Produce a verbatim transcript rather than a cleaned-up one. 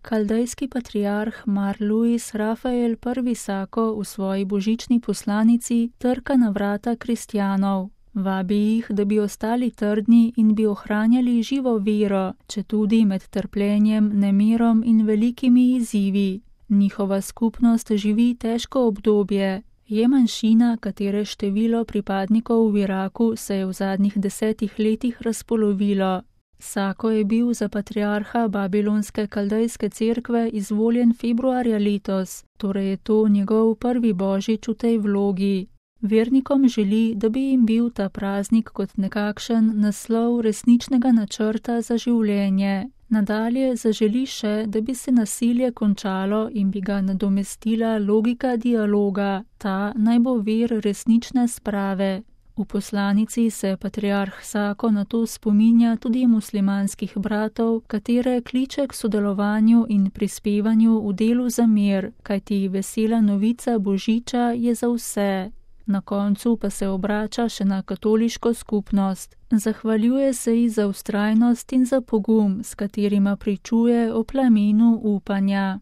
Kaldejski patriarh Mar Luis Rafael prvi Sako v svoji božični poslanici trka na vrata kristjanov. Vabi jih, da bi ostali trdni in bi ohranjali živo vero, četudi med trpljenjem, nemirom in velikimi izzivi. Njihova skupnost živi težko obdobje. Je manjšina, katere število pripadnikov v Iraku se je v zadnjih desetih letih razpolovilo. Sako je bil za patriarha Babilonske kaldejske cerkve izvoljen februarja letos, torej je to njegov prvi božič v tej vlogi. Vernikom želi, da bi jim bil ta praznik kot nekakšen naslov resničnega načrta za življenje. Nadalje zaželi še, da bi se nasilje končalo in bi ga nadomestila logika dialoga, ta naj bo vir resnične sprave. V poslanici se patriarh Sako na to spominja tudi muslimanskih bratov, katere kliče k sodelovanju in prispevanju v delu za mir, kajti vesela novica božiča je za vse. Na koncu pa se obrača še na katoliško skupnost. Zahvaljuje se ji za vztrajnost in za pogum, s katerima pričuje o plamenu upanja.